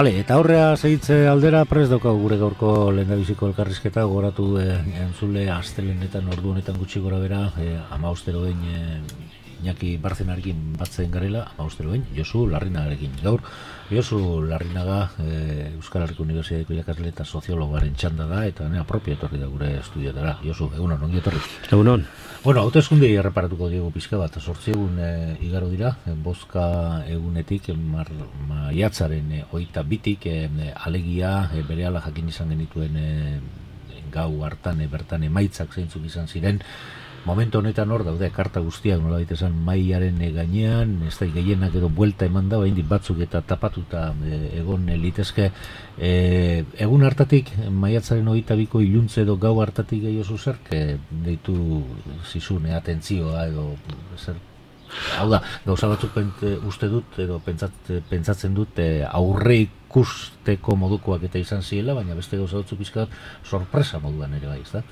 Ale, eta horrea segitze aldera prest daukagu gure gaurko lehendabiziko elkarrizketa, goratu entzule astelenetan ordu honetan gutxi gora bera, 15 Iñaki Barzenarekin batzen garela, 15 Josu Larrinagarekin. Gaur, Josu Larrinaga Euskal Herriko Unibertsitateko irakasle eta soziologaren txanda da, eta nea propia etorri da gure estudiotara. Josu, egunon, ongi etorri. Egunon. Bueno, hauteskundei erreparatuko diegu pixka bat, 8 egun igaro dira, bozka egunetik, maiatzaren 22-tik, alegia berehala jakin izan genituen gau hartan bertan emaitzak zeintzuk izan ziren. Momentu honetan hor daude karta guztiak nola esan maiaren gainean, ez da gehienak edo buelta eman da, baina batzuk eta tapatuta egon litezke. Egun hartatik, maiatzaren 22ko iluntze edo gau hartatik gehiago zerk, deitu zizune atentzioa edo zer. Hau da, gauza batzuk uste dut edo pentsatzen dut aurre ikusteko modukoak eta izan ziela, baina beste gauza batzuk pizkat sorpresa moduan ere bai, ezta?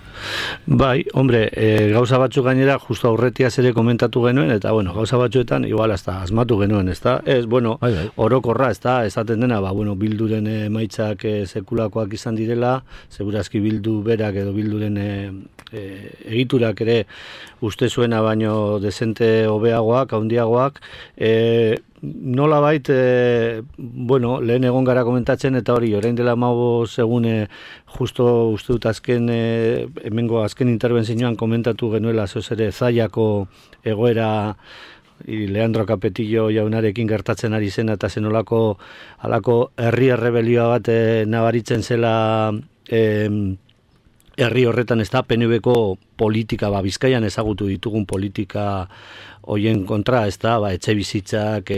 Bai, hombre, gauza batzuk gainera justo aurretiaz ere komentatu genuen, eta bueno, gauza batzuetan igual hasta asmatu genuen, ezta? Ez, bueno, orokorra, ezta, esaten dena, bueno, Bilduren emaitzak sekulakoak izan direla, segurazki Bildu berak edo Bilduren egiturak ere uste zuena baino dezente hobeagoak, handiagoak, nolabait, bueno, lehen egon gara komentatzen, eta hori, orain dela 15 egun justo uste dut hemengo azken interbentzioan komentatu genuela zoz ere Zallako egoera Leandro Capetillo jaunarekin gertatzen ari zen, eta zenolako halako herri errebelioa bat nabaritzen zela herri horretan, ez da, PNV-ko politika, Bizkaian ezagutu ditugun politika hoien kontra, ez da, etxe bizitzak,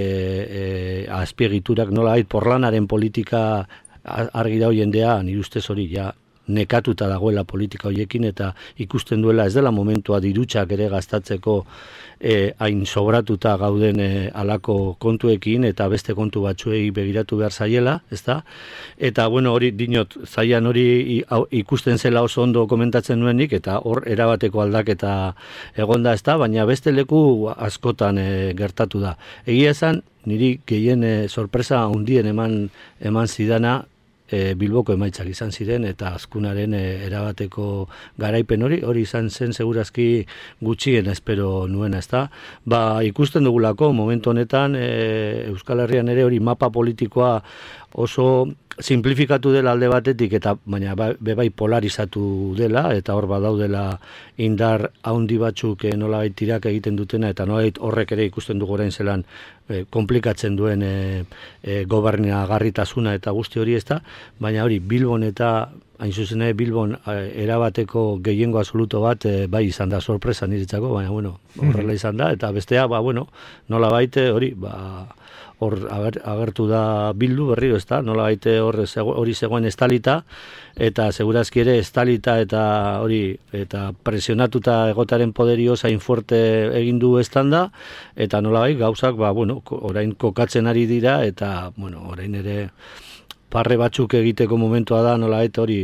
azpiegiturak, nolabait porlanaren politika argi da jendea, nire ustez hori, ja, nekatuta dagoela politika hoiekin, eta ikusten duela ez dela momentua dirutxak ere gastatzeko hain sobratuta gauden alako kontuekin, eta beste kontu batzuei begiratu behar zaiela, ezta? Eta, bueno, hori, dinot, zaian hori ikusten zela oso ondo komentatzen nuenik, eta hor erabateko aldaketa egonda, ezta? Baina beste leku askotan gertatu da. Egia esan, niri gehien sorpresa handien eman zidana, Bilboko emaitzak izan ziren, eta azkunaren erabateko garaipen hori izan zen segurazki gutxien espero nuena, ezta? Ikusten dugulako momentu honetan Euskal Herrian ere hori mapa politikoa oso simplifikatu dela alde batetik, eta baina bai polarizatu dela, eta hor badaudela indar handi batzuk nolabait tirak egiten dutena, eta nolabait horrek ere ikusten dugu orain zelan komplikatzen duen gobernagarritasuna eta guzti hori, ezta? Baina hori Bilbon eta hain zuzen Bilbon erabateko gehiengo absoluto bat bai izan da sorpresa niretzako, baina bueno, horrela izan da, eta bestea, bueno, nolabait hori, hor agertu da Bildu berriro, ezta? Nolabait hori zegoen estalita, eta segurazki ere estalita eta hori, eta presionatuta egotaren poderio zain fuerte egin du estanda, eta nolabait gauzak, bueno, orain kokatzen ari dira, eta, bueno, orain ere parre batzuk egiteko momentua da, nolabait hori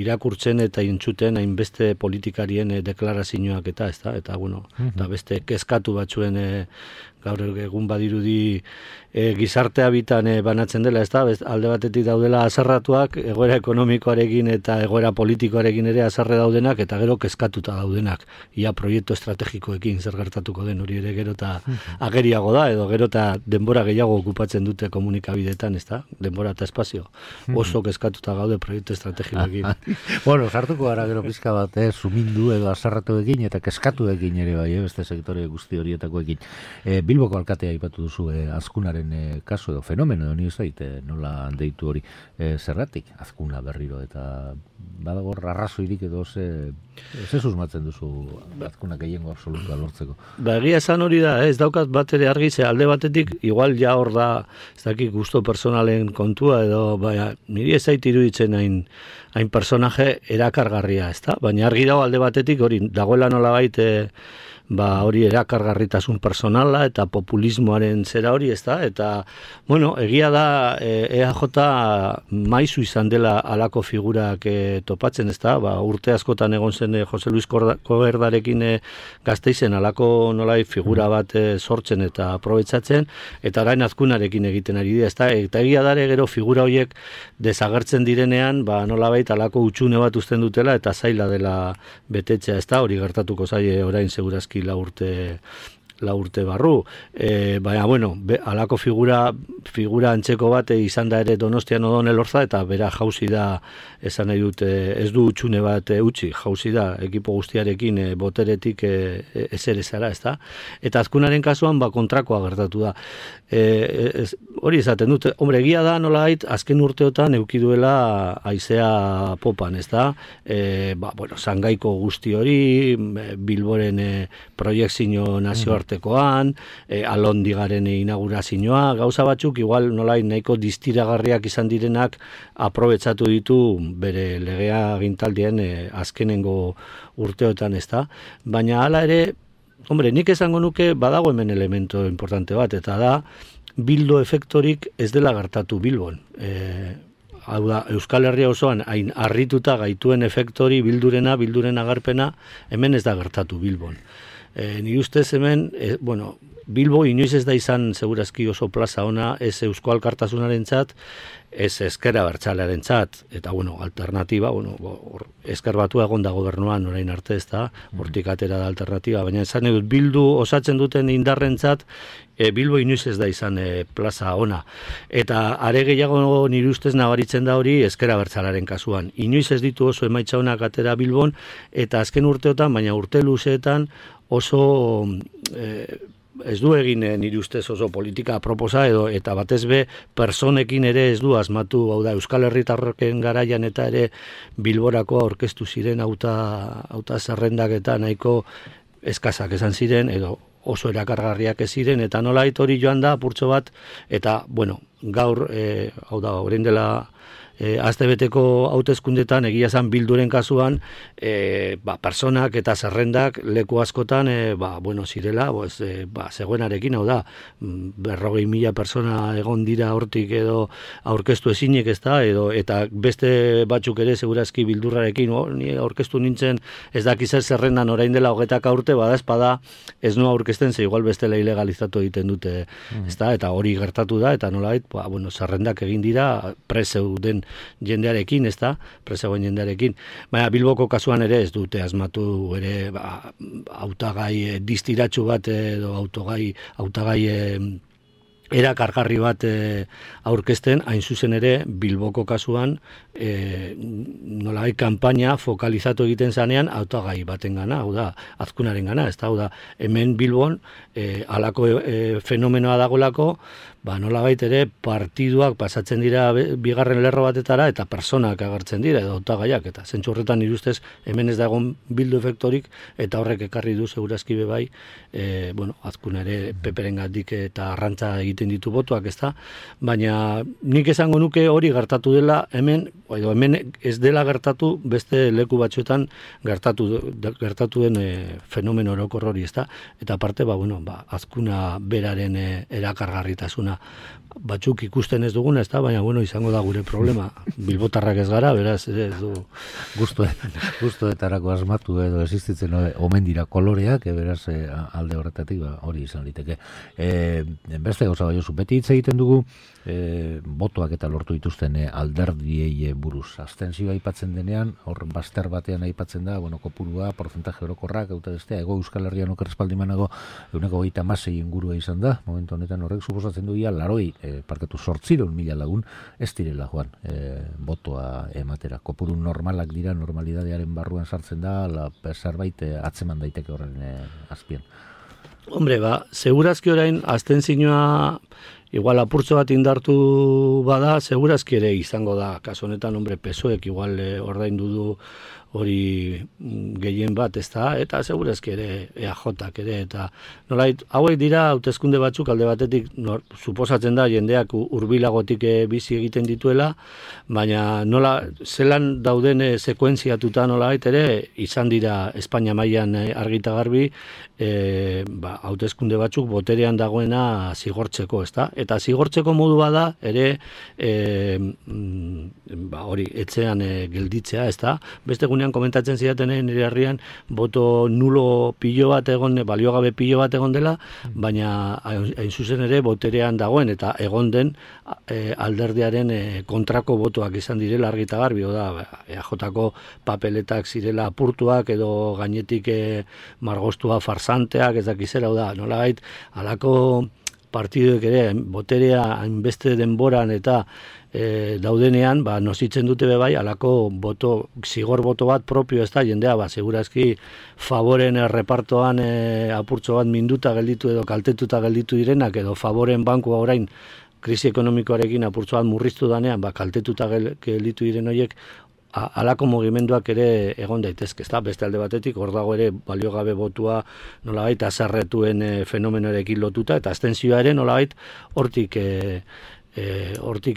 irakurtzen eta intzuten hainbeste politikarien deklarazioak eta, ezta? Eta, bueno, eta beste kezkatu batzuen gaur egun badirudi gizartea bitan banatzen dela, ezta? Alde batetik daudela azarratuak, egoera ekonomikoarekin eta egoera politikoarekin ere azarre daudenak, eta gero kezkatuta daudenak. Ia proiektu estrategikoekin zer gertatuko den hori ere gero eta ageriago da, edo gero eta denbora gehiago okupatzen dute komunikabideetan, ezta? Denbora eta espazio. Oso kezkatuta gaude proiektu estrategikoekin. Bueno, sartuko gara gero pizka bat, sumindu edo azarratuekin eta kezkatuekin ere bai, beste sektore guzti horietakoekin. Bilboko alkatea aipatu duzu azkunaren kasu edo fenomeno edo nio zait, nola deitu hori zerratik azkuna berriro, eta badago arrazoirik edo ze susmatzen duzu azkuna gehiengo absolutua lortzeko? Egia esan hori da, ez daukat bat ere argi, ze alde batetik igual ja hor da, ez dakik gusto personalen kontua edo, baina niri ez zait iruditzen hain personaje erakargarria, ezta? Baina argi dago alde batetik hori dagoela nolabait hori erakargarritasun personala eta populismoaren zera hori, ez da? Eta, bueno, egia da EAJ maizu izan dela alako figurak topatzen, ez da? Urte askotan egon zen Jose Luis Koberdarekin Gasteizen alako nolai figura bat sortzen eta aprobetsatzen, eta orain Azkunarekin egiten ari dira, ez da? Eta egia dare gero figura horiek desagertzen direnean, nolabait alako utxune bat uzten dutela eta zaila dela betetzea, ez da? Hori gertatuko zaie orain segurazki 4 urte barru. Baina, bueno, alako figura antzeko bat izan da ere Donostian Odon Elorza, eta bera jauzi da, esan nahi dut, ez du utxune bat utzi, jauzi da, ekipo guztiarekin boteretik ezerezara, ez da? Eta Azkunaren kasuan, kontrakoa gertatu da. Hori esaten dut, hombre, egia da nolait, azken urteotan eukiduela haizea popan, ez da? Zangaiko guzti hori, Bilboren proiektzio nazioartekoan, Alondigaren inaugurazioa, gauza batzuk, igual nolait nahiko distiragarriak izan direnak aprobetsatu ditu bere legea gintaldien azkenengo urteotan, ez da? Baina hala ere, hombre, nik esango nuke badago hemen elemento importante bat, eta da, bildo efektorik ez dela gertatu Bilbon. Hau da, Euskal Herria osoan hain harrituta gaituen efektori bilduren agarpena, hemen ez da gertatu Bilbon. Nire ustez hemen, Bilbo inoiz ez da izan segurazki oso plaza ona, ez Eusko Alkartasunaren txat, ez Ezker Abertzalearen txat, eta alternatiba, Ezker Batua egon da gobernuan orain arte, ez da, hortik atera da alternatiba, baina esan edut, Bildu osatzen duten indarren txat, Bilbo inoiz ez da izan plaza ona. Eta are gehiago nire ustez nabaritzen da hori Ezker Abertzalearen kasuan. Inoiz ez ditu oso emaitza onak atera Bilbon, eta azken urteotan, baina urte luzeetan oso ez du egin nire ustez oso politika aproposa eta batez be personekin ere ez du asmatu, hau da, Euskal Herritarroken garaian eta ere Bilborako aurkeztu ziren auta zerrendak eta nahiko eskazak esan ziren, edo oso erakargarriak ez ziren, eta nolait hori joan da apurtxo bat, eta, gaur, hau da, orain dela astebeteko hauteskundetan egia zan Bilduren kasuan personak eta zerrendak leku askotan zirela zegoenarekin, hau da 40.000 persona egon dira hortik edo aurkeztu ezinek, ez da, eta beste batzuk ere segurazki Bildurrarekin ni aurkeztu nintzen ez dakizer zerrendan orain dela 20 urte, bada ez noa aurkezten, ze igual bestela ilegalizatu egiten dute, ez da, eta hori gertatu da, eta nolait zerrendak egin dira prezeuden jendearekin, ez da, prezegoen jendearekin. Baina Bilboko kasuan ere ez dute asmatu ere hautagai distiratsu bat edo hautagai erakargarri bat aurkezten, hain zuzen ere Bilboko kasuan nolai kanpaina fokalizatu egiten zanean hautagai baten gana, hau da, Azkunaren gana, ez da, hau da, hemen Bilbon halako fenomenoa dagolako, nolabait ere partiduak pasatzen dira bigarren lerro batetara eta personak agertzen dira edo hautagaiak, eta zentzu horretan nire ustez hemen ez da egon bildu efektorik, eta horrek ekarri du segurazki bebai Azkuna ere peperengatik eta arrantza egiten ditu botuak, ez da, baina nik esango nuke hori gertatu dela hemen ez dela gertatu beste leku batzuetan gertatu den fenomeno orokor hori, ez da, eta aparte Azkuna beraren erakargarritasuna batzuk ikusten ez duguna, ez da, baina izango da gure problema. Bilbotarrak ez gara, beraz, ez du guztuetarako asmatu edo existitzen omen dira koloreak, beraz alde horretatik hori izan liteke. Beste gauza baiozu, beti hitz egiten dugu botoak eta lortu dituzten alderdiei buruz. Abstentzioa aipatzen denean, hor bazter batean aipatzen da, kopurua, porcentaje orokorrak, Ego Euskal Herrian oker espaldimanago 126 ingurua izan da, momentu honetan horrek suposatzen du ia 800.000 lagun ez direla joan botoa ematera. Kopuru normalak dira, normalidadearen barruan sartzen da, zerbait atzeman daiteke horren azpian. Hombre, segurazki orain abstentzioa igual apurtxo bat indartu bada, segurazki ere izango da, kaso honetan, PSOEk igual ordaindu du hori gehien bat, ezta, eta segurazki ere EAJak ere, eta nolait, hauek dira hauteskunde batzuk alde batetik suposatzen da jendeak hurbilagotik bizi egiten dituela, baina nola zelan dauden sekuentziatuta nolait ere izan dira Espainia mailan argita garbi hauteskunde batzuk boterean dagoena zigortzeko, ezta? Eta zigortzeko modu bada ere hori etxean gelditzea, ezta? Beste egunean komentatzen zidaten nire herrian boto nulo pilo bat egon, baliogabe pilo bat egon dela, baina hain zuzen ere boterean dagoen eta egon den alderdiaren kontrako botoak izan direla argita garbi, da EAJko papeletak zirela apurtuak edo gainetik margostua farsanteak, ez dakizera, da nolabait halako partiduek ere boterea hainbeste denboran eta daudenean, nozitzen dute bebai, alako zigor boto bat propio ez da, jendea, segurazki favoren repartoan apurtxo bat minduta gelditu edo kaltetuta gelditu direnak, edo favoren bankua orain krisi ekonomikoarekin apurtxo bat murriztu danean, kaltetuta gelditu diren horiek, halako mugimenduak ere egon daitezke, ezta? Beste alde batetik, hor dago ere baliogabe botua nolabait azarretuen fenomenoarekin lotuta, eta abstentzioa ere nolabait hortik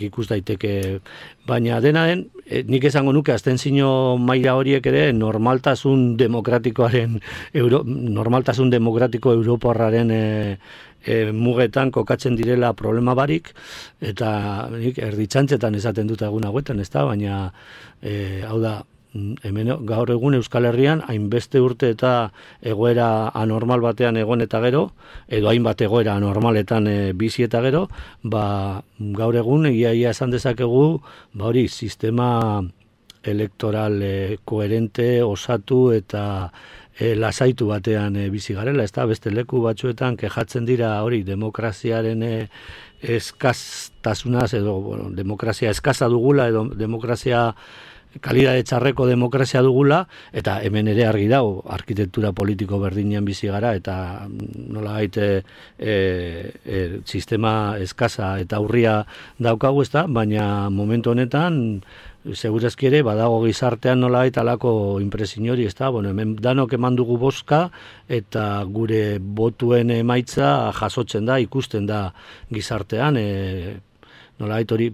ikus daiteke, baina dena den, nik esango nuke abstentzio maila horiek ere normaltasun demokratiko europarraren mugetan kokatzen direla problema barik, eta nik erditxantzetan esaten dut egun hauetan, ezta, baina hau da, hemen gaur egun Euskal Herrian hainbeste urte eta egoera anormal batean egon eta gero, edo hainbat egoera anormaletan bizi eta gero, gaur egun ia esan dezakegu, hori sistema elektoral koherente, osatu eta lasaitu batean bizi garela, ez da, beste leku batzuetan kejatzen dira hori demokraziaren eskaztasunaz, edo demokrazia eskaza dugula, edo demokrazia kalidade txarreko demokrazia dugula, eta hemen ere argi dago, arkitektura politiko berdinean bizi gara, eta nolabait sistema eskaza eta urria daukagu, ezta, baina momentu honetan segurazki ere badago gizartean nolabait alako inpresin hori, ezta, hemen danok eman dugu bozka eta gure botuen emaitza jasotzen da, ikusten da gizartean, nolabait hori,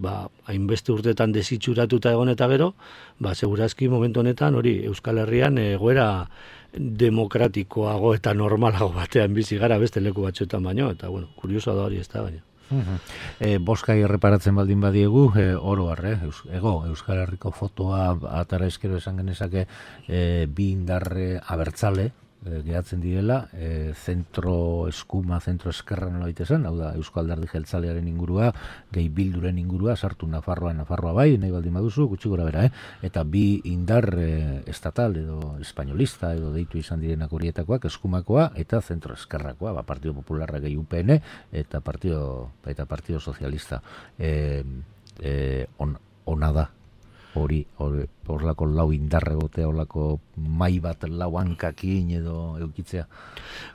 hainbeste urtetan desitxuratuta egon eta gero, segurazki momentu honetan hori Euskal Herrian egoera demokratikoago eta normalago batean bizi gara beste leku batzuetan baino, eta kuriosoa da hori, ez da, baina. Boskai erreparatzen baldin badiegu, oro harre, Euskal Herriko fotoa atara eskero esan genezake bi indarre abertzale gehatzen direla, zentro eskuma, zentro eskerra nola zen, hau da, Eusko Alderdi Jeltzalearen ingurua, gehi Bilduren ingurua, sartu Nafarroa bai, nahi baldin baduzu, gutxi gora bera, eta bi indar estatal edo espainolista edo deitu izan direnak horietakoak, eskumakoa eta zentro eskerrakoa, Partido Popularra gehi UPN eta Partido Socialista. Ona da. Horlako lau indarre gotea, horlako mai bat lau hankakin edo eukitzea.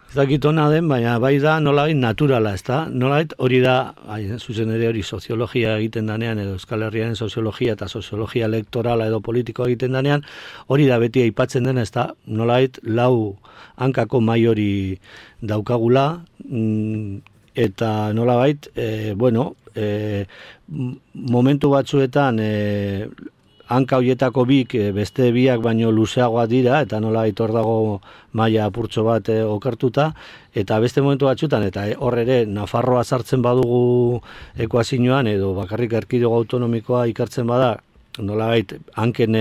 Ez dakit ona den, baina bai da nolabait naturala, ez da? Nolabait hori da, zuzen ere hori soziologia egiten danean, edo Euskal Herriaren soziologia eta soziologia elektorala edo politikoa egiten danean, hori da beti aipatzen dena, ez da? Nolabait lau hankako mai hori daukagula, eta nolabait, momentu batzuetan hanka horietako bik beste biak baino luzeagoa dira, eta nola hor dago maila apurtxo bat okertuta, eta beste momentu batzutan, eta hor ere Nafarroa sartzen badugu ekuazioan, edo bakarrik erkidego autonomikoa ikartzen bada, nolabait hanken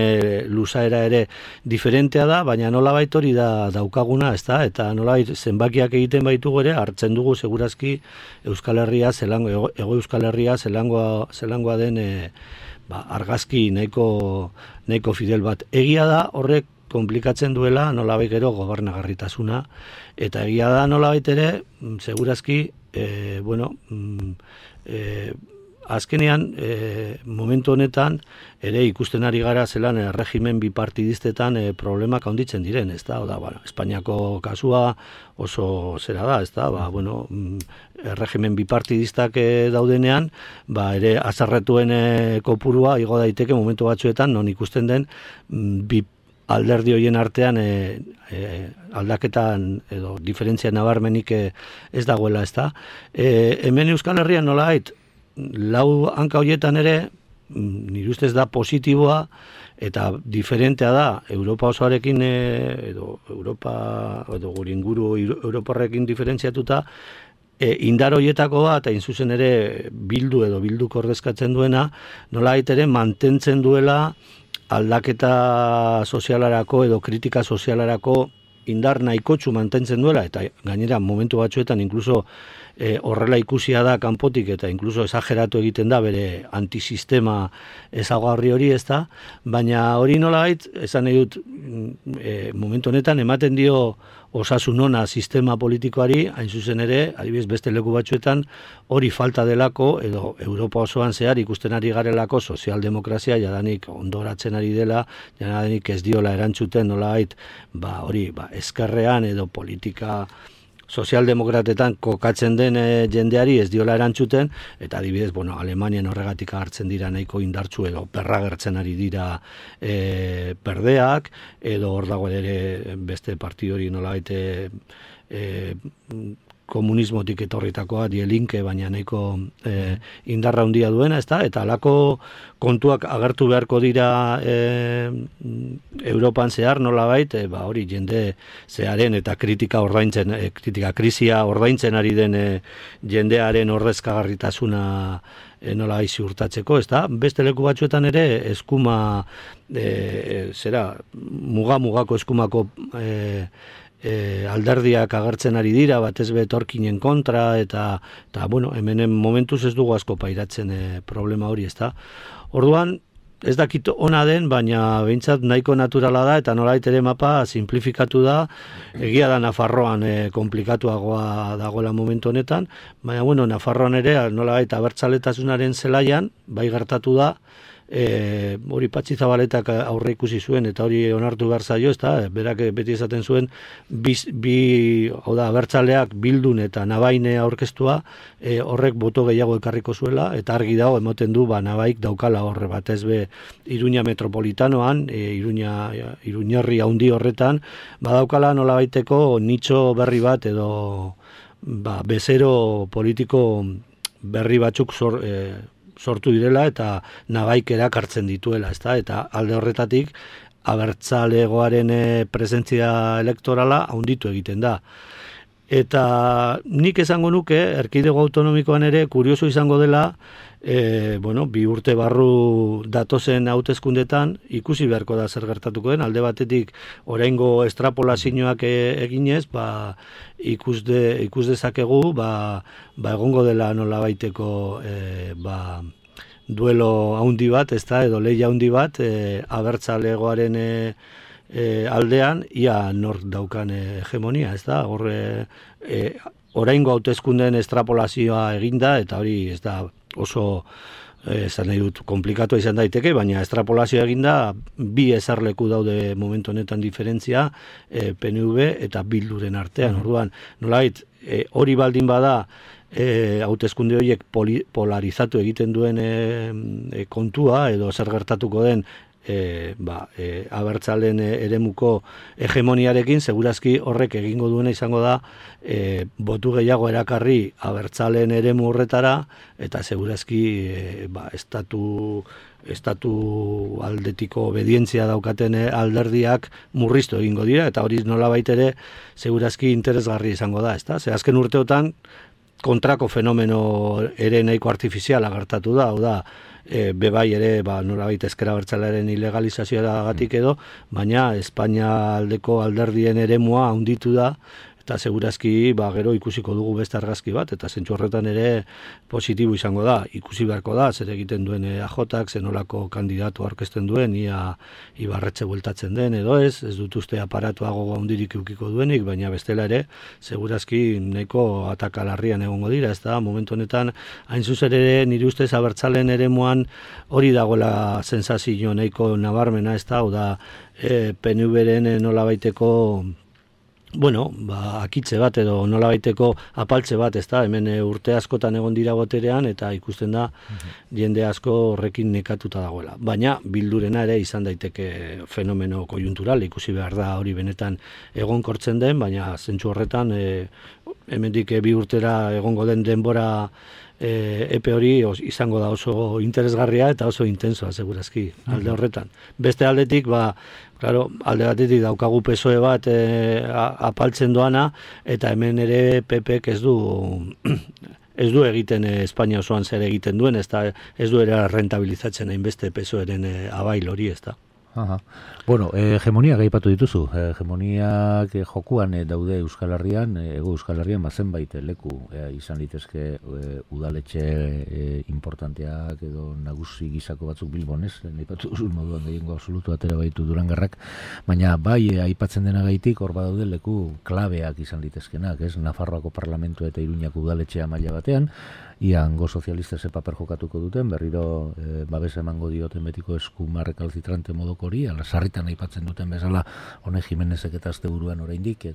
luzaera ere diferentea da, baina nolabait hori da daukaguna, ezta? Eta nolabait zenbakiak egiten baitugu ere, hartzen dugu segurazki Euskal Herria, Ego Euskal Herria, zelangoa den argazki nahiko fidel bat. Egia da horrek konplikatzen duela nolabait gero gobernagarritasuna, eta egia da nolabait ere, segurazki, azkenean, momentu honetan, ere ikusten ari gara zelan regimen bipartidistetan problemak handitzen diren, ez da? Espainiako kasua oso zera da, ez da? Regimen bipartidistak daudenean, ere azarretuen kopurua igo daiteke momentu batzuetan, non ikusten den alderdi horien artean aldaketan edo diferentzia nabarmenik ez dagoela, ez da. Hemen Euskal Herrian nolabait, lau hanka horietan ere, nire ustez da positiboa, eta diferentea da, Europa osoarekin, edo Europa, edo gure inguru Europarrekin diferentziatuta, indar horietako bat, hain zuzen ere bildu edo bilduk ordezkatzen duena, nolabait ere mantentzen duela aldaketa sozialarako edo kritika sozialarako indar nahikotsu mantentzen duela, eta gainera momentu batzuetan inkluso horrela ikusia da kanpotik eta inkluso esageratu egiten da bere antisistema ezaugarri hori, ez da, baina hori nolabait, esan nahi dut, momentu honetan ematen dio osasun ona sistema politikoari, hain zuzen ere, adibidez beste leku batzuetan, hori falta delako, edo Europa osoan zehar ikusten ari garelako sozialdemokrazia jadanik ondoratzen ari dela, jadanik ez diola erantzuten nolabait, hori, ezkerrean edo politika sozialdemokratetan kokatzen den jendeari ez diola erantzuten, eta adibidez, Alemanian horregatik hartzen dira nahiko indartsu edo berragertzen ari dira berdeak, edo hor dago ere beste partidu hori nolabait komunismotik etorritakoa, Die Linke, baina nahiko indarra handia duena, ezta? Eta halako kontuak agertu beharko dira Europan zehar nolabait, hori jende zearen eta kritika krisia ordaintzen ari den jendearen ordezkagarritasuna nolabait ziurtatzeko, ezta? Beste leku batzuetan ere eskuma mugako eskumako alderdiak agertzen ari dira, batez be etorkinen kontra, eta hemen momentuz ez dugu asko pairatzen problema hori, ezta. Orduan, ez dakit ona den, baina behintzat nahiko naturala da, eta nolait ere mapa simplifikatu da, egia da Nafarroan komplikatuagoa dagoela momentu honetan, baina Nafarroan ere nolait abertzaletasunaren zelaian, bai gertatu da, hori Patxi Zabaletak aurre ikusi zuen eta hori onartu behar zaio, ezta, berak beti esaten zuen hau da, abertzaleak Bildun eta Nabaine aurkeztua, horrek boto gehiago ekarriko zuela, eta argi dago emoten du Nabaik daukala horre batez be Iruña metropolitanoan, Iruñerri handi horretan, badaukala nolabaiteko nitxo berri bat edo bezero politiko berri batzuk sortu direla eta Nabaik erakartzen dituela, ezta? Eta alde horretatik abertzalegoaren presentzia elektorala handitu egiten da. Eta nik esango nuke, erkidego autonomikoan ere, kurioso izango dela, bi urte barru datozen hauteskundetan, ikusi beharko da zer gertatuko den, alde batetik oraingo estrapolazioak eginez, ikus dezakegu, egongo dela nolabaiteko duelo handi bat, ezta, edo lehia handi bat, abertzalegoaren aldean, ia nork daukan hegemonia, ez da, oraingo hauteskundeen estrapolazioa eginda, eta hori ez da oso, esan nahi dut, komplikatu izan daiteke, baina estrapolazioa eginda, bi ezarleku daude momentu honetan diferentzia, PNV eta Bilduren artean, orduan, nolait, hori baldin bada, hauteskunde horiek polarizatu egiten duen kontua, edo zer gertatuko den, abertzalen eremuko hegemoniarekin, segurazki horrek egingo duena izango da botu gehiago erakarri abertzalen eremu horretara, eta segurazki estatu aldetiko obedientzia daukaten alderdiak murriztu egingo dira, eta hori nolabait ere segurazki interesgarri izango da, ezta? Ze azken urteotan kontrako fenomeno ere nahiko artifiziala gertatu da, hau da, bebai ere nolabait ezker abertzalearen ilegalizazioagatik edo, baina Espainia aldeko alderdien eremua handitu da, eta segurazki gero ikusiko dugu beste argazki bat, eta zentzu horretan ere positibo izango da, ikusi beharko da, zer egiten duen AJak, zenolako kandidatu aurkezten duen, ia Ibarretxe bueltatzen den, edo ez dut uste aparatuago handirik eukiko duenik, baina bestela ere, segurazki nahiko atakalarrian egongo dira, ez da, momentu honetan, hain zuzen ere, nire ustez abertzalen eremuan hori dagoela sensazio nahiko nabarmena, ez da, hau da, PNV-ren nolabaiteko bueno, akitze bat edo nolabaiteko apaltze bat, ezta? Hemen urte askotan egon dira boterean eta ikusten da jende asko horrekin nekatuta dagoela. Baina bildurena ere izan daiteke fenomeno kojuntural, ikusi behar da hori benetan egonkortzen den, baina zentzu horretan hemendik 2 urtera egongo den denbora epe hori izango da oso interesgarria eta oso intensoa segurazki alde horretan. Beste aldetik, claro, alde batetik daukagu PSOE bat apaltzen doana, eta hemen ere PPk ez du egiten Espainia osoan zer egiten duen, ez du ere rentabilizatzen hainbeste PSOEren abail hori, ez da. Aha. Bueno, hegemoniak aipatu dituzu. Hegemoniak jokuan daude Euskal Herrian, Hego Euskal Herrian zenbait leku izan litezke udaletxe importanteak edo nagusi gizako batzuk Bilbon, ez? Aipatu duzu moduan gehiengo absolutu atera baitu Durangarrak, baina bai aipatzen denagaitik hor badaude leku klabeak izan litezkenak, ez? Nafarroako Parlamentu eta Iruñako udaletxea maila batean, ia hango sozialista ze paper jokatuko duten, berriro babesa emango dioten betiko eskumar recalcitrante modoko hori, ala sarritan aipatzen duten bezala, Hone Jimenezek eta asteburuan oraindik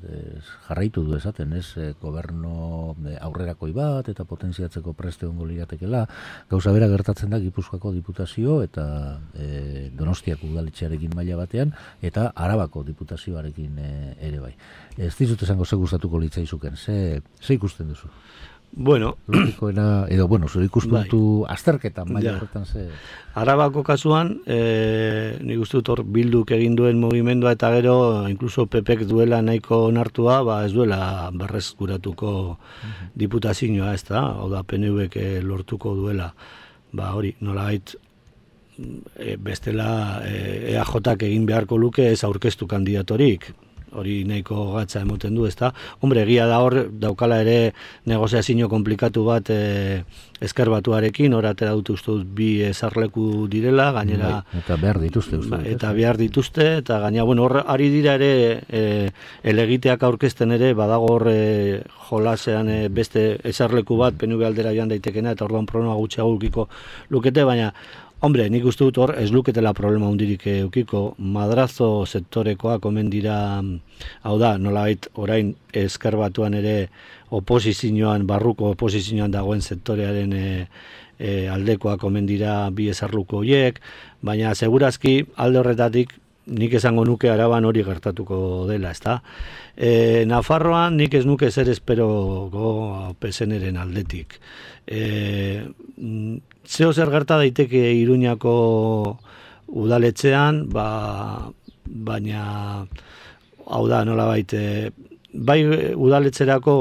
jarraitu du esaten, ez? Gobernu aurrerakoi bat eta potentziatzeko preste egongo liratekeela. Gauza bera gertatzen da Gipuzkoako diputazio eta Donostiako udaletxearekin maila batean eta Arabako diputazioarekin ere bai. Ez dizut esango ze gustatuko litzaizuken, ze ikusten duzu? Bueno, logikoena, edo, zure ikuspuntu azterketan, maila horretan ze... Arabako kasuan, nik uste dut hor Bilduk egin duen mugimendua eta gero, inkluso PPek duela nahiko onartua, ez duela berrezkuratuko diputazioa, ez da, hau da PNVek lortuko duela, hori, nolabait, bestela EAJak egin beharko luke ez aurkeztu kandidatorik, hori nahiko gatza emoten du, ezta? Hombre, egia da hor, daukala ere negoziazio komplikatu bat Ezker Batuarekin, hor atera dut uste dut 2 ezarleku direla, gainera... Eta behar dituzte, uste. Eta behar dituzte, eta gainera, hor ari dira ere elegiteak aurkezten ere, badago hor jolasean beste ezarleku bat, PNV aldera joan daitekena, eta orduan problema gutxiago ukiko lukete, baina hombre, nik uste dut hor ez luketela problema hundirik eukiko, madrazo sektorekoak omen dira, hau da, nolabait orain Ezker Batuan ere oposizioan, barruko oposizioan dagoen sektorearen aldekoak omen dira 2 ezarluko horiek, baina segurazki alde horretatik nik esango nuke Araban hori gertatuko dela, ezta? Nafarroan nik ez nuke zer esperoko PSN-eren aldetik. Zeo zer gerta daiteke Iruñako udaletxean, baina hau da nolabait bai udaletxerako,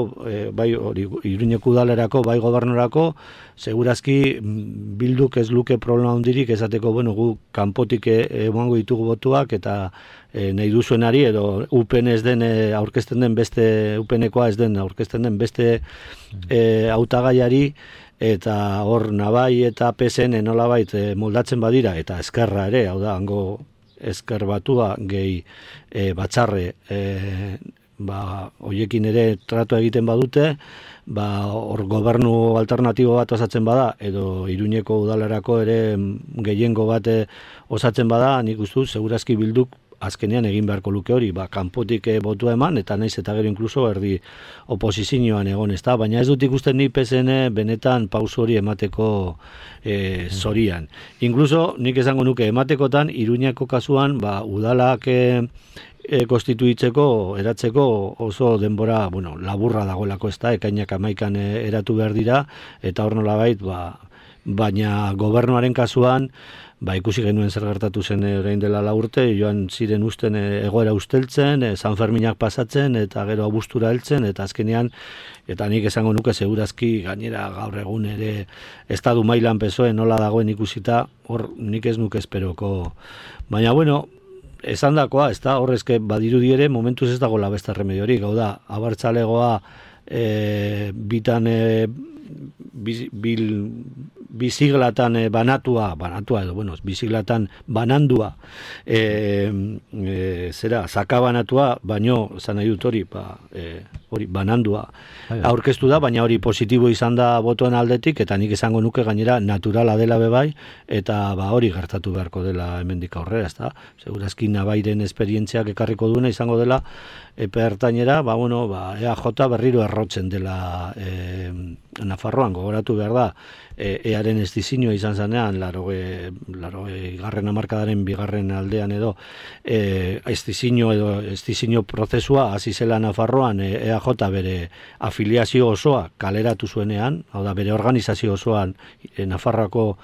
bai Iruñeko udalerako, bai gobernorako, segurazki Bilduk ez luke problema hundirik esateko, gu kanpotik emango ditugu botuak eta nahi duzuenari edo UPN ez den aurkezten den beste, UPNekoa ez den aurkezten den beste hautagaiari, eta hor Nabai eta PSN nolabait moldatzen badira, eta Ezkerra ere, hau da, hango Ezker Batua gehi batzarre hoiekin ere tratu egiten badute, hor gobernu alternatibo bat osatzen bada, edo Iruñeko udalerako ere gehiengo bat osatzen bada, nik uste dut, segurazki Bilduk azkenean egin beharko luke hori, kanpotik botua eman, eta naiz eta gero inkluso erdi oposizioan egon, ez da, baina ez dut ikusten ni PSN benetan pauso hori emateko zorian. Inkluso nik esango nuke ematekotan, Iruñako kasuan, udalak konstituitzeko, eratzeko oso denbora, laburra dagoelako, ez da, ekainak 11 eratu behar dira, eta hor nolabait, baina gobernuaren kasuan, ikusi genuen zer gertatu zen orain dela 4 urte, joan ziren usten egoera usteltzen, San Ferminak pasatzen, eta gero abuztura heltzen, eta azkenean, eta nik esango nuke segurazki gainera gaur egun ere estadu mailan PSOE nola dagoen ikusita, hor nik ez nuke esperoko. Baina, esan dakoa, ez da, horrezke badirudi ere, momentuz ez dago beste remediorik, hau da, abertzalegoa bitan biziglatan banatua edo, bueno, biziglatan banandua, sakabanatua, baino, zan nahi dut hori, hori banandua aurkeztu da, baina hori positibo izan da botoen aldetik, eta nik esango nuke gainera naturala dela bebai, eta hori gertatu beharko dela hemendik aurrera, ezta? Segurazki Navairen esperientziak ekarriko duena izango dela, epe ertainera, EAJ berriro errotzen dela Nafarroan, gogoratu behar da, earen estizinioa izan zanean, 80. hamarkadaren bigarren aldean edo, estizinio prozesua hasi zela Nafarroan, EAJ bere afiliazio osoa kaleratu zuenean, hau da, bere organizazio osoan, Nafarroako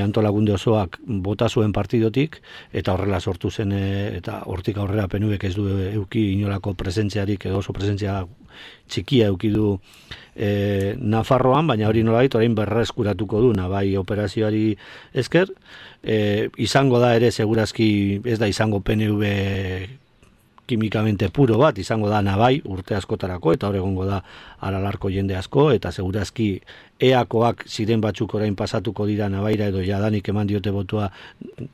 antolakunde osoak bota zuen partidotik, eta horrela sortu zen, eta hortik aurrera PNVk ez du euki inolako presentziarik, edo oso presentzia txikia euki du Nafarroan, baina hori nolabait orain berreskuratuko du Navai operazioari esker, izango da ere segurazki ez da izango PNV kimikamente puro bat, izango da Navai urte askotarako, eta hor egongo da Aralarko jende asko, eta segurazki EAkoak ziren batzuk orain pasatuko dira Navaira, edo jadanik eman diote botua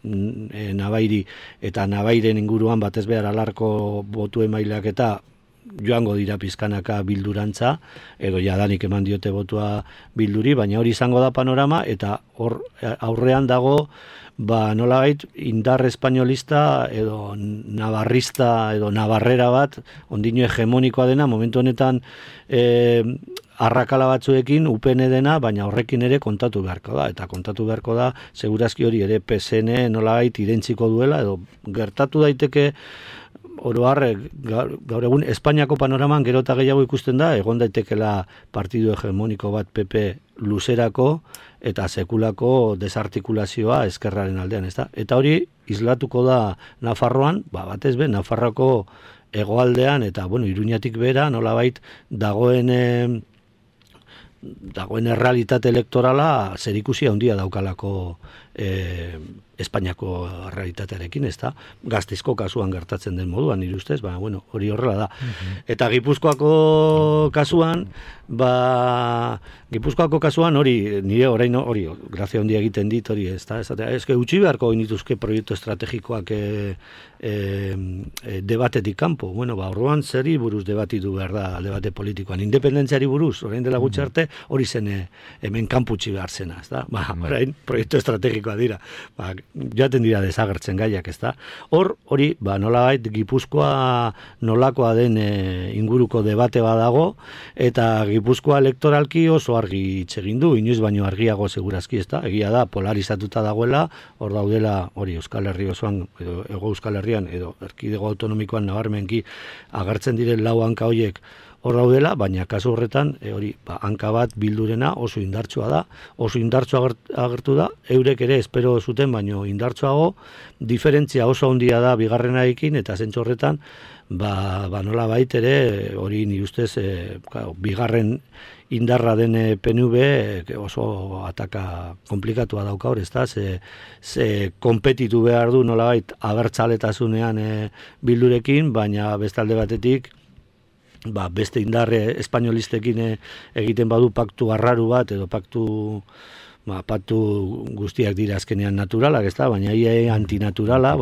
Navairi, eta Navairen inguruan batez behar Aralarko botu emaileak eta joango dira pizkanaka bildurantza, edo jadanik eman diote botua bilduri, baina hori izango da panorama, eta hor aurrean dago nolabait indar espainolista edo navarrista edo navarrera bat, ondino hegemonikoa dena, momentu honetan arrakala batzuekin UPN dena, baina horrekin ere kontatu beharko da, eta kontatu beharko da, segurazki hori ere PSN nolabait identziko duela, edo gertatu daiteke oro har, gaur egun Espainiako panoraman gero eta gehiago ikusten da, egon daitekela partidu hegemoniko bat PP luzerako eta sekulako desartikulazioa ezkerraren aldean, ezta? Eta hori islatuko da Nafarroan, batez be, Nafarroako hegoaldean eta, Iruñatik bera, nolabait dagoen errealitate elektorala zerikusia handia daukalako Espainiako realitatearekin, ezta? Gasteizko kasuan gertatzen den moduan, nire ustez, hori horrela da. Eta Gipuzkoako kasuan, hori, nire orain hori, grazia handia egiten dit, hori, ezta? Eske utzi beharko inituzke proiektu estrategikoak debatetik kanpo. Orduan zeri buruz debatitu behar da, debate politikoan. Independentziari buruz, orain dela gutxi arte, hori zen hemen kanputzi behar zena, ezta? Orain proiektu estrategikoa dira. Joaten dira desagertzen gaiak, ezta? Hori, nolabait Gipuzkoa nolakoa den inguruko debate badago, eta Gipuzkoa elektoralki oso argi hitz egin du, inoiz baino argiago segurazki, ezta? Egia da, polarizatuta dagoela, hor daudela, hori Euskal Herri osoan, edo Hego Euskal Herrian, edo erkidego autonomikoan nabarmenki agertzen diren lau hanka horiek hor daudela, baina kasu horretan, hanka bat bildurena oso indartsua da, oso indartsua agertu da, eurek ere espero zuten, baino indartsuago, diferentzia oso handia da bigarrenarekin, eta zentzu horretan, nola bait ere, hori nire ustez, bigarren indarra den PNV oso ataka komplikatua dauka hor, ezta? Ze konpetitu behar du nolabait abertzaletasunean bildurekin, baina bestalde batetik beste indarre espainolistekin egiten badu paktu arraru bat, edo paktu guztiak dira azkenean naturalak, ezta? Baina antinaturala,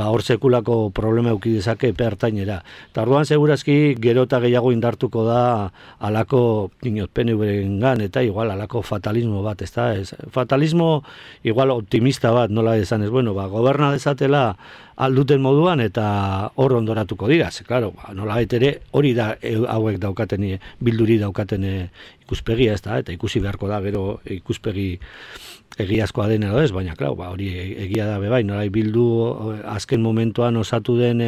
hor sekulako problema eduki dezake epe ertainera. Eta orduan segurazki gero eta gehiago indartuko da alako PNV-rengan, eta igual alako fatalismo bat, ezta? Fatalismo igual optimista bat, nola esan ez, goberna dezatela alduten moduan eta hor ondoratuko dira, claro, nola ere hori da hauek daukaten, bilduri daukaten ikuspegia, ezta? Eta ikusi beharko da gero ikuspegi egiazkoa den edo ez, baina claro, hori egia da bebai, nola bildu azken momentuan osatu den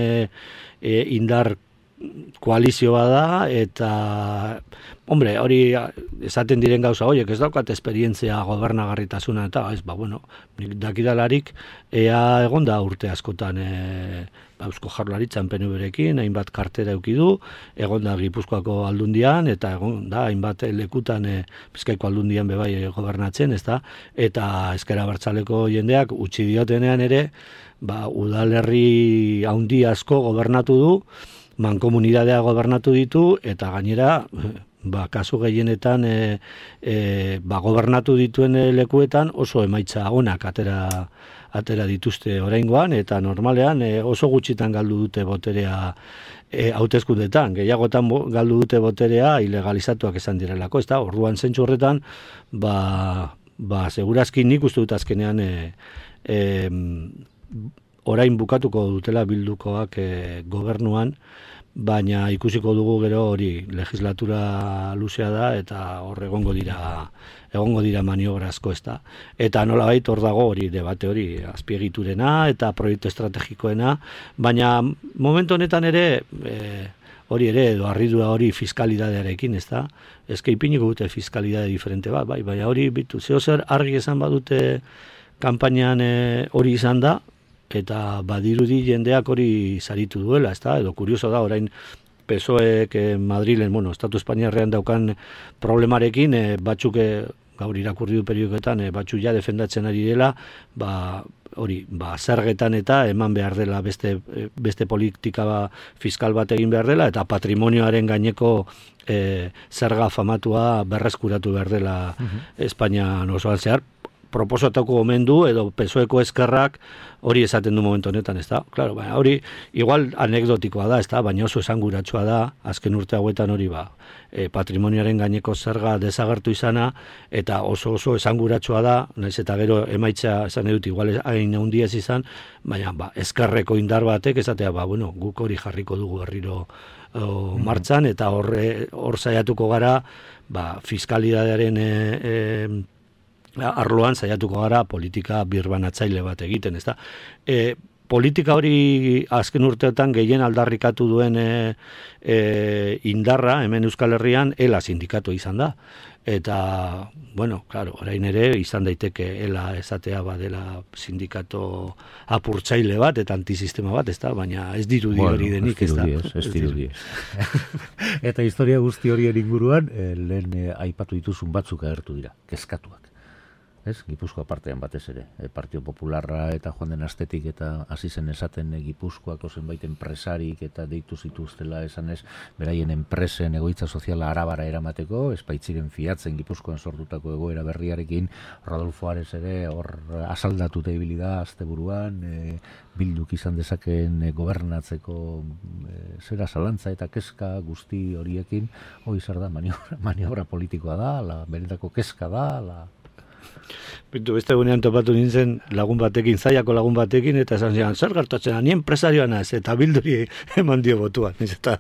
indar koalizioa da, eta hori esaten diren gauza horiek, ez daukat esperientzia gobernagarritasuna, eta nik dakidalarik ea egon da urte askotan Eusko Jaurlaritzan PNV-rekin, hainbat kartera eduki du, egon da Gipuzkoako aldundian, eta egon da hainbat lekutan Bizkaiko aldundian bebai gobernatzen, ezta? Eta ezker abertzaleko jendeak utzi diotenean ere, udalerri handi asko gobernatu du, mankomunidadea gobernatu ditu, eta gainera kasu gehienetan gobernatu dituen lekuetan oso emaitza onak atera dituzte oraingoan, eta normalean oso gutxitan galdu dute boterea hauteskundetan, gehiagotan galdu dute boterea ilegalizatuak esan direlako, ezta? Orduan zentzu horretan, segurazki nik uste dut azkenean orain bukatuko dutela bildukoak gobernuan, baina ikusiko dugu gero hori legislatura luzea da eta hor egongo dira maniobrazko, ezta. Eta nolabait hor dago hori debate hori azpiegiturena eta proiektu estrategikoena, baina momentu honetan ere hori ere edo harridura hori fiskalidadearekin, ezta. Eske ipiniko dute fiskalidade diferente bat, baina hori bitu zer argi esan badute kanpainan hori izan da, eta badirudi jendeak hori saritu duela, ezta? Edo kurioso da, orain PSOEk Madrilen, Estatu Espainiarrean daukan problemarekin, batzuk gaur irakurri du periodikoetan, batzuk ja defendatzen ari dela, zergetan eta eman behar dela beste politika fiskal bat egin behar dela, eta patrimonioaren gaineko zerga famatua berreskuratu behar dela Espainian osoan zehar, proposatuko omen du, edo PSOEko eskerrak hori esaten du momentu honetan, ez da? Claro, hori igual anekdotikoa da, ez da? Baina oso esanguratsua da, azken urte hauetan hori patrimonioaren gaineko zerga desagertu izana, eta oso esanguratsua da, naiz eta gero emaitza esan edut, igual hain handia ez izan, baina eskerreko indar batek esatea, guk hori jarriko dugu berriro martxan, eta hor saiatuko gara, fiskalidadearen arloan saiatuko gara politika birbanatzaile bat egiten, ezta? Politika hori azken urteetan gehien aldarrikatu duen indarra hemen Euskal Herrian ELA sindikatu izan da. Eta, orain ere izan daiteke ELA esatea badela sindikato apurtzaile bat eta antisistema bat, ezta? Baina ez dirudi hori denik, ezta? Ez dirudi. Eta historia guzti horien inguruan, lehen aipatu dituzun batzuk agertu dira, kezkatuak. Gipuzkoa partean batez ere. Partio Popularra eta joan den astetik eta hasi zen esaten Gipuzkoako zenbait enpresarik eta deitu zituztela esanez, beraien enpresen egoitza soziala Arabara eramateko, espaitziren fiatzen Gipuzkoan sortutako egoera berriarekin, Rodolfo Ares ere hor asaldatuta ibili da asteburuan, Bilduk izan dezakeen gobernatzeko zera zalantza eta kezka guzti horiekin, hori zer da, maniobra politikoa da, benetako kezka da, Beste egunean topatu nintzen zaiako lagun batekin, eta esan zian, zer gertatzen, ni enpresarioa naz, eta Bilduri eman dio botuan, eta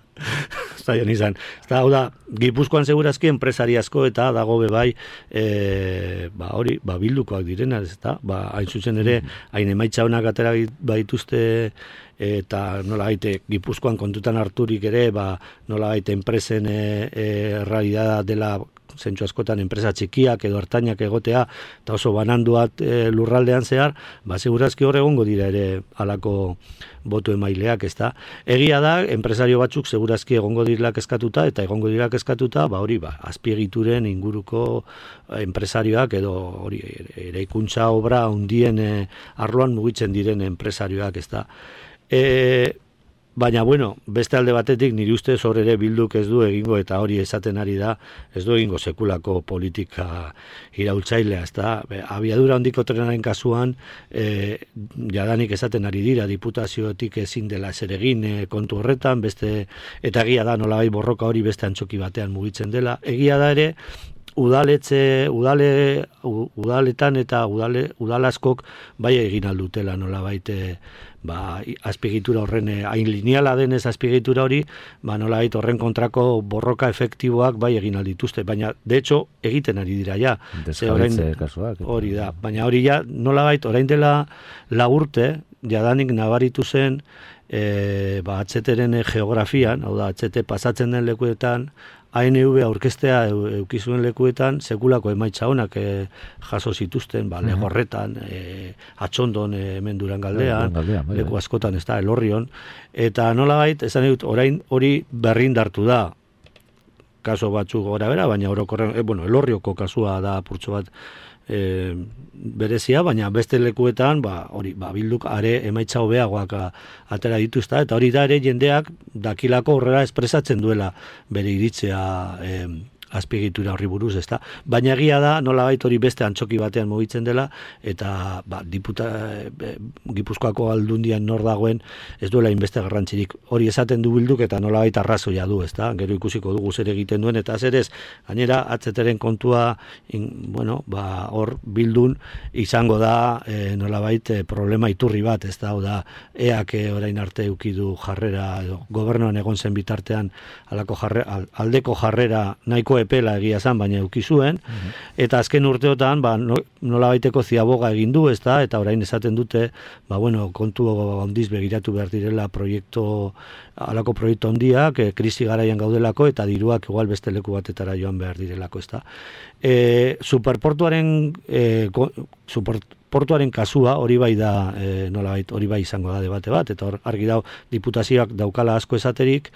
zaian izan. Eta hau da, Gipuzkoan segurazki enpresari asko eta dago bebai, Bildukoak direna, eta hain zuzen ere, hain emaitza honak atera baituzte, eta nola gaite Gipuzkoan kontutan harturik ere, nola gaite enpresen realidad dela zentsu askotan enpresa txikiak edo hartainak egotea, eta oso bananduat lurraldean zehar, segurazki hor egongo dira ere halako botu emaileak, ezta. Egia da, enpresario batzuk segurazki egongo dira kezkatuta, eta egongo dira kezkatuta, azpiegituren inguruko enpresarioak edo hori eraikuntza obra handien arloan mugitzen diren enpresarioak, ezta. Baina, beste alde batetik nire ustez hor ere Bilduk ez du egingo, eta hori esaten ari da, ez du egingo sekulako politika iraultzailea, ezta? Abiadura handiko trenaren kasuan, jadanik esaten ari dira, diputazioetik ezin dela ezer egin kontu horretan, eta egia da nolabait borroka hori beste antzoki batean mugitzen dela. Egia da ere, udaletan eta udalaskok bai egin aldutela nolabait azpiegitura horren, hain lineala denez azpiegitura hori, nolabait horren kontrako borroka efektiboak bai egin aldituzte, baina de hecho egiten ari dira ja. Desjabetze kasuak. Hori da, baina hori ja nolabait orain dela 4 urte, jadanik nabaritu zen HTren geografian, hau da, HT pasatzen den lekuetan, ANV aurkeztea eukizuen lekuetan sekulako emaitza honak jaso zituzten, Legorretan, Atxondon, hemen Durangaldean, leku askotan, ez da, Elorrion, eta nolabait, esan dut, orain hori berrindartu da, kaso batzuk gora bera, baina orokorren, Elorrioko kasua da apurtxo bat berezia, baina beste lekuetan Bilduk are emaitza hobeagoak atera dituzta, eta hori da ere jendeak dakilako horrela espresatzen duela bere iritzea azpiegitura horri buruz, ezta? Baina egia da, nolabait hori beste antzoki batean mugitzen dela, eta Gipuzkoako Aldundian nor dagoen ez duela inbeste garrantzirik. Hori esaten du Bilduk eta nolabait arrazoia du, ezta? Gero ikusiko dugu zer egiten duen, eta zer ez, gainera, AZTren kontua, hor Bildun izango da nolabait problema iturri bat, ez da, da, eak orain arte eukidu jarrera, gobernuan egon zen bitartean aldeko jarrera nahiko epela egia zan, baina eukizuen, eta azken urteotan nolabaiteko ziaboga egin du, ez da, eta orain esaten dute, kontu handiz begiratu behar direla halako proiektu handiak, krisi garaian gaudelako, eta diruak igual beste leku batetara joan behar direlako, ez da. Superportuaren kasua hori bai da, nolabait, hori bai izango da debate bat, eta hor argi dau diputazioak daukala asko esaterik,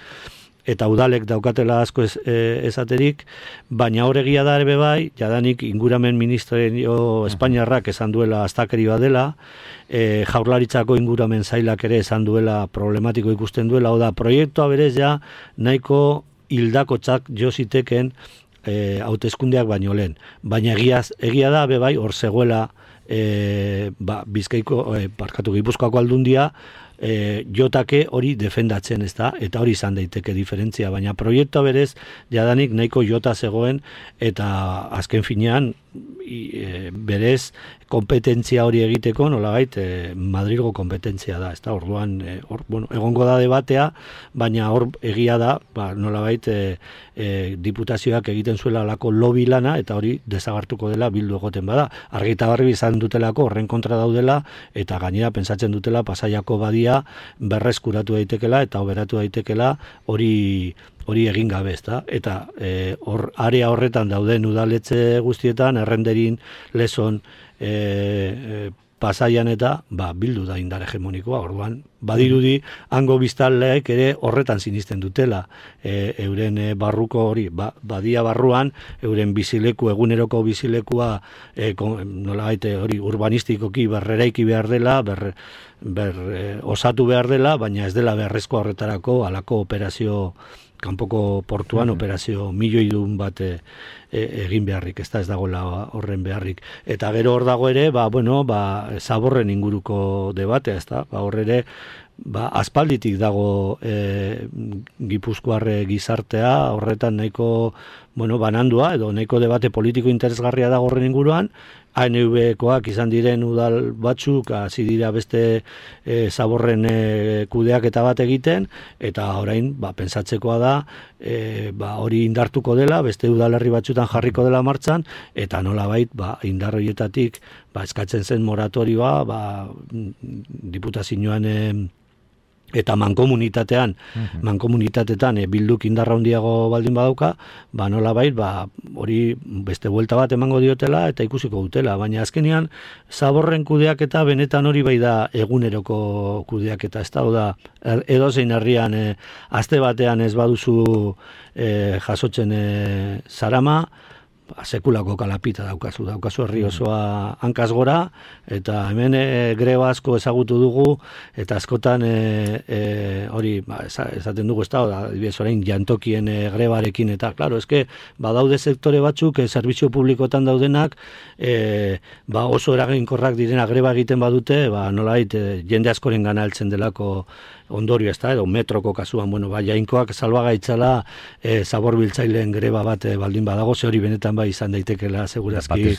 eta udalek daukatela asko esaterik, baina hor egia da ere bai, jadanik inguramen ministerio Espainiarrak esan duela astakeri badela, Jaurlaritzako inguramen zailak ere esan duela problematiko ikusten duela, oda proiektua berez ja nahiko hildakotzak jo ziteken hauteskundeak baino lehen. Baina egia da bai hor zegoela Gipuzkoako Aldundia jotake hori defendatzen, ez da, eta hori izan daiteke diferentzia, baina proiektua berez jadanik nahiko jota zegoen, eta azken finean berez kompetentzia hori egiteko nolabait Madrilgo kompetentzia da, ez da, orduan egongo da debatea, baina hor egia da nolabait diputazioak egiten zuela alako lobby lana, eta hori desagartuko dela Bildu egoten bada. Argi eta garbi izan dutelako horren kontra daudela, eta gainera pentsatzen dutela Pasaiako badia berreskuratu daitekela eta oberatu daitekela hori egin gabe, ezta? Eta area horretan dauden udaletxe guztietan, Errenderin, Lezon, Pasaian eta Bildu da indar hegemonikoa, orduan badirudi hango biztanleek ere horretan sinisten dutela, euren barruko hori, badia barruan, euren bizileku, eguneroko bizilekua nolabait hori urbanistikoki berreraiki behar dela, osatu behar dela, baina ez dela beharrezko horretarako halako operazio kanpoko portuan operazio milioidun bat egin beharrik, ez dagoela horren beharrik. Eta gero hor dago ere, zaborren inguruko debatea, ez da, hor ere, aspalditik dago Gipuzkoar gizartea, horretan nahiko, banandua, edo nahiko debate politiko interesgarria dago horren inguruan, ANV-koak izan diren udal batzuk, hasi dira beste zaborren kudeaketa bat egiten, eta orain pentsatzekoa da, hori indartuko dela, beste udalerri batzutan jarriko dela martxan, eta nolabait indar horietatik eskatzen zen moratorioa, diputazioan eta mankomunitatetan Bilduk indarra handiago baldin badauka, nolabait hori beste buelta bat emango diotela eta ikusiko dutela, baina azkenean zaborren kudeaketa benetan hori bai da eguneroko kudeaketa, ez da, edozein herrian aste batean ez baduzu jasotzen zarama, sekulako kalapita daukazu herri osoa hankaz gora, eta hemen greba asko ezagutu dugu, eta askotan hori, esaten dugu, ez da, orain jantokien grebarekin, eta, klaro, eske, badaude sektore batzuk, zerbitzu publikotan daudenak, oso eraginkorrak direna greba egiten badute, nolait, jende askoren gana heltzen delako ondorio, ez da, edo metroko kasuan, jainkoak salbagaitzala zaborbiltzaileen greba bat baldin badago, ze hori benetan izan daitekela, segurazki.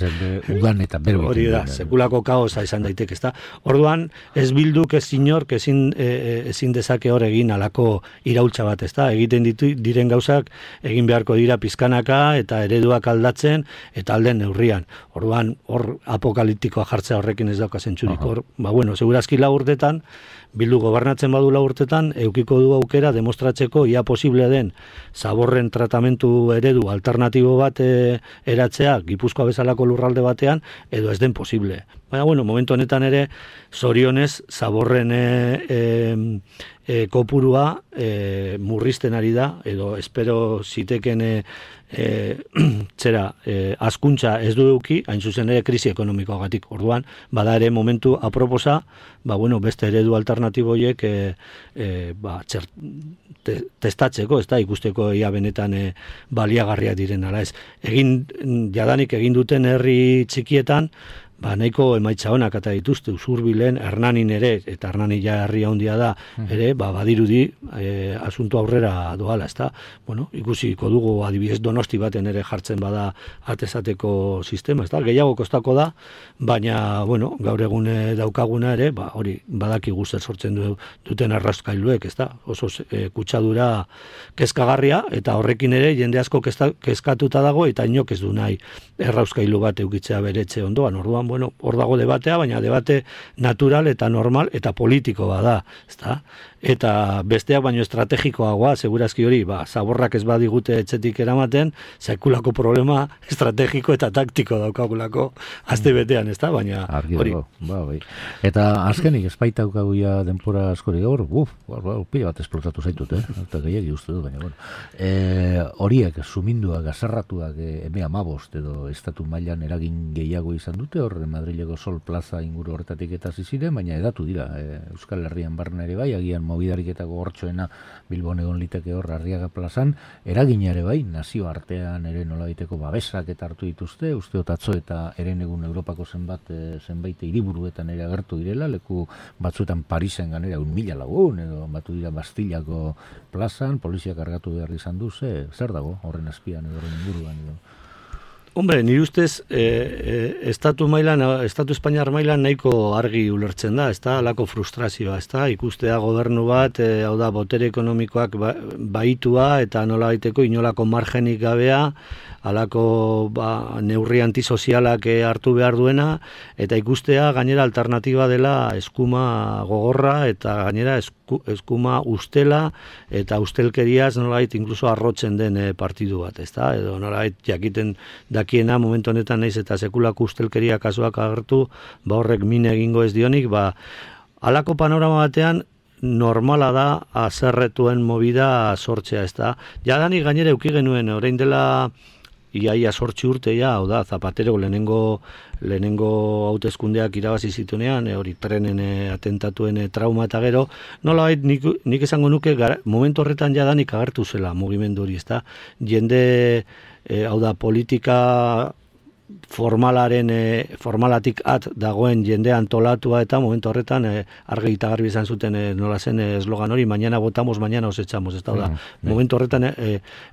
Udan eta berbo. Hori da, sekulako kaosa izan daiteke, ez da. Orduan, ez Bilduk, ez inork, ezin dezake hor egin alako iraultza bat, ez da. Egiten diren gauzak, egin beharko dira pizkanaka eta ereduak aldatzen, eta alden neurrian. Orduan, hor apokaliptikoa jartzea horrekin ez dauka zentzurik. Hor, segurazki 4 urtetan, Bildu gobernatzen badu 4 urtetan, eukiko du aukera demostratzeko ia posible den zaborren tratamentu eredu alternatibo bat eratzea Gipuzkoa bezalako lurralde batean, edo ez den posible. Baina, momentu honetan ere, zorionez, zaborren kopurua murrizten ari da, edo espero ziteken askuntza ez du eduki, hain zuzen ere krisi ekonomikoagatik. Orduan, bada ere momentu aproposa, beste eredu alternatiboiek testatzeko, ez da, ikusteko ia benetan baliagarriak diren ala ez. Jadanik egin duten herri txikietan, nahiko emaitza honak eta dituzte, Usurbilen, Hernanin ere, eta Hernani ja herria handia da, ere, badirudi asunto aurrera doala, ez da? Ikusiko dugu adibidez Donosti baten ere jartzen bada atezateko sistema, ez da? Gehiago kostako da, baina, gaur egun daukaguna ere, hori badakigu zer sortzen duten arrauskailuek, ez da? Oso kutsadura kezkagarria, eta horrekin ere jende asko kezkatuta dago, eta inok ez du nahi errauskailu bat eukitzea beretxe ondoan, orduan, hor dago debatea, baina debate natural eta normal eta politiko bada, ezta? Eta besteak baino estrategikoagoa, segurazki hori, zaborrak ez badigute etxetik eramaten, sekulako problema estrategiko eta taktiko daukagulako azte betean, ezta? Baina hori. Eta azkenik espaita daukaguia denpora askori gaur, pila bat esplotatu zaitut, eta gehiagi uste dut, baina horiek, suminduak, azarratuak, eme 15 edo estatu mailan eragin gehiago izan dute, hor Madrileko Sol Plaza inguru horretatik eta ziren, baina edatu dira, Euskal Herrian barna ere bai, agian mobidarik eta gogortxoena Bilbon egon liteke hor Arriaga plazan, eragina ere bai, nazio artean ere nolabaiteko babesak eta hartu dituzte, uste atzo eta eren egun Europako zenbait hiriburuetan ere agertu direla, leku batzuetan Parisen ganera 1.000 lagun, edo batu dira Bastillako plazan, polizia kargatu behar izan du, zer dago horren azpian edo horren inguruan edo? Hombre, nire ustez, estatu Espainiar mailan nahiko argi ulertzen da, ez da, alako frustrazioa, ez da, ikustea gobernu bat, hau da, botere ekonomikoak baitua eta nola baiteko inolako margenik gabea, alako neurri antisozialak hartu behar duena, eta ikustea gainera alternatiba dela eskuma gogorra, eta gainera eskuma ustela, eta ustelkeriaz nolait inkluso arrotzen den partidu bat, ez da, edo nolait jakiten dakiena momentu honetan naiz eta sekulako ustelkeria kasuak agertu, horrek min egingo ez dionik, alako panorama batean, normala da azerretuen movida sortzea, ez da. Jadanik gainera euki genuen, orain dela iaia 8 urte, hau da, Zapatero lehenengo hauteskundeak irabazi zituenean, hori trenen atentatuen trauma eta gero, nolabait nik esango nuke momentu horretan jadanik agertu zela mugimendu hori, ez da. Jende, hau da, politika formalatik dagoen jende antolatua eta momentu horretan argi eta garbi izan zuten nola zen eslogan hori, mañana votamos, mañana os echamos, ez da, momentu horretan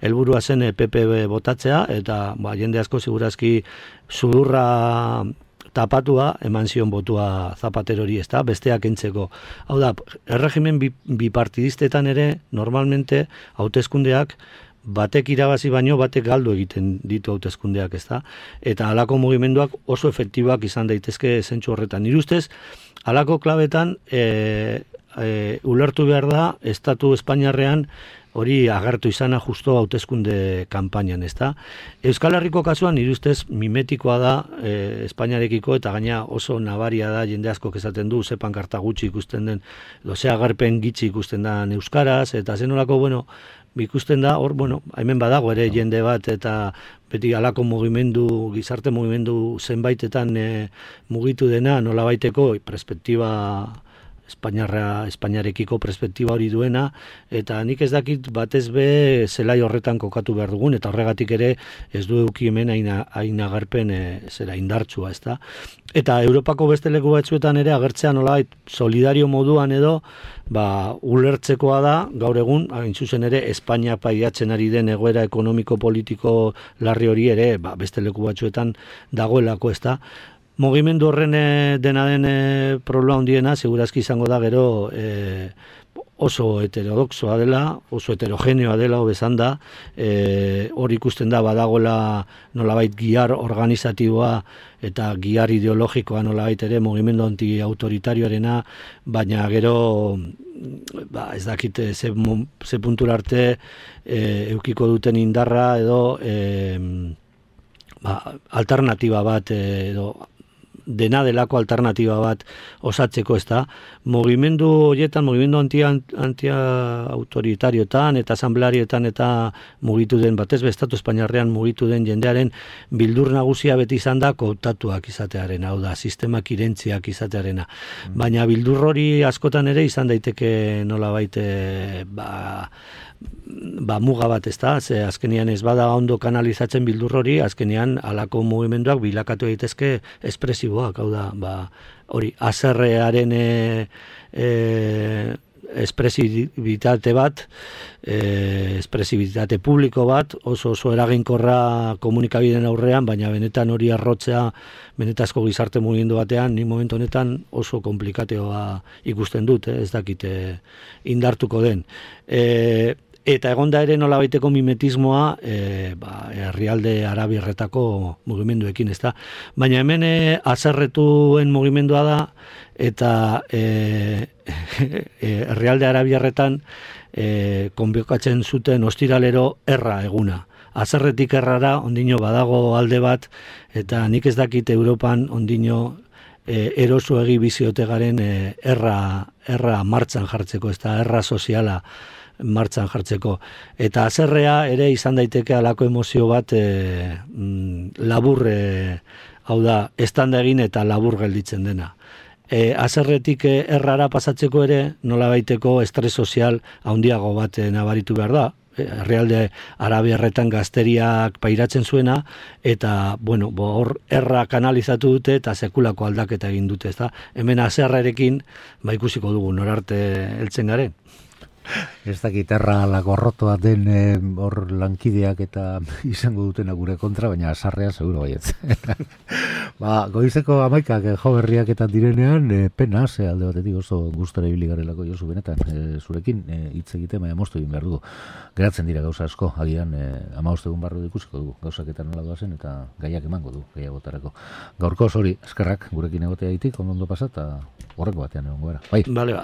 helburua zen PP botatzea, eta jende asko segurazki sudurra tapatua eman zion botua Zapaterori, ez da, besteak entzeko. Hau da, erregimen bipartidistetan ere, normalmente, hauteskundeak batek irabazi baino batek galdu egiten ditu hauteskundeak, ez da? Eta halako mugimenduak oso efektibak izan daitezke zentzu horretan. Nire ustez, halako klabetan ulertu behar da, Estatu Espainiarrean hori agertu izana justo hauteskunde kanpainan, ez da? Euskal Herriko kasuan, nire ustez, mimetikoa da Espainiarekiko, eta gaina oso nabaria da, jende asko esaten du, ze pankarta gutxi ikusten den, ze agerpen gitxi ikusten da euskaraz, eta zenolako, ikusten da, hor, hemen badago ere jende bat, eta beti halako mugimendu, gizarte mugimendu zenbaitetan mugitu dena, nola baiteko perspektiba Espainiarekiko perspektiba hori duena, eta nik ez dakit batez be zelai horretan kokatu behar dugun, eta horregatik ere ez du eduki hemen hain agerpen indartsua, ez da. Eta Europako beste leku batzuetan ere agertzea nolabait solidario moduan edo, ulertzekoa da, gaur egun, hain zuzen ere, Espainia paiatzen ari den egoera ekonomiko-politiko larri hori ere, beste leku batzuetan dagoelako, ez da. Mugimendu horren dena den problema handiena, segurazki izango da gero oso heterodoxoa dela, oso heterogeneoa dela, hobezan da, hor ikusten da badagoela nolabait gihar organizatiboa eta gihar ideologikoa nolabait ere mugimendu anti-autoritarioarena, baina gero ez dakit ze puntura arte eukiko duten indarra edo alternatiba bat edo dena delako alternatiba bat osatzeko, ez da. Mugimendu horietan, mugimendu anti-autoritarioetan eta asamblearietan eta mugitu den, batez bestatu Espainiarrean mugitu den jendearen bildur nagusia beti izan da kooptatuak izatearen, hau da, sistemak irentziak izatearena. Baina bildur hori askotan ere izan daiteke nolabait muga bat, ez da, ze azkenian ez bada ondo kanalizatzen bildur hori, azkenian halako mugimenduak bilakatu daitezke espresiboak, hau da, hori, haserrearen espresibitate bat, espresibitate publiko bat, oso eraginkorra komunikabideen aurrean, baina benetan hori arrotzea, benetazko gizarte mugimendu batean, ni momentu honetan oso komplikatioa ikusten dut, ez dakite indartuko den. Eta egonda ere nolabaiteko mimetismoa herrialde arabierretako mugimenduekin, ez da. Baina hemen haserretuen mugimendua da, eta herrialde arabierretan konbiokatzen zuten ostiralero erra eguna. Haserretik errara ondino badago alde bat, eta nik ez dakit Europan ondino eroso egi biziote garen erra martxan jartzeko, ez da, erra soziala martxan jartzeko. Eta haserrea ere izan daiteke halako emozio bat labur, hau da, estanda egin eta labur gelditzen dena. Haserretik errara pasatzeko ere nolabaiteko estres sozial handiago bat nabaritu behar da. Herrialde arabiarretan gazteriak pairatzen zuena, eta, hor erra kanalizatu dute eta sekulako aldaketa egin dute, ez da. Hemen haserrarekin, ikusiko dugu norarte heltzen garen. Ez dakit erra lagorrotoa den hor lankideak eta izango dutena gure kontra, baina sarrea seguro baietz. Goizeko 11 jo berriak eta direnean, pena, alde batetik oso gustora ibili garelako Josu benetan, zurekin hitz egite, baina moztu egin behar dugu. Geratzen dira gauza asko, agian 15 egun barru ikusiko dugu, gauzak eta nola doazen eta gaiak emango du, gehiagotarako. Gaurko hori, eskerrak gurekin egotea ditik, ondo pasa eta horreko batean egongo gara. Bai. Bale,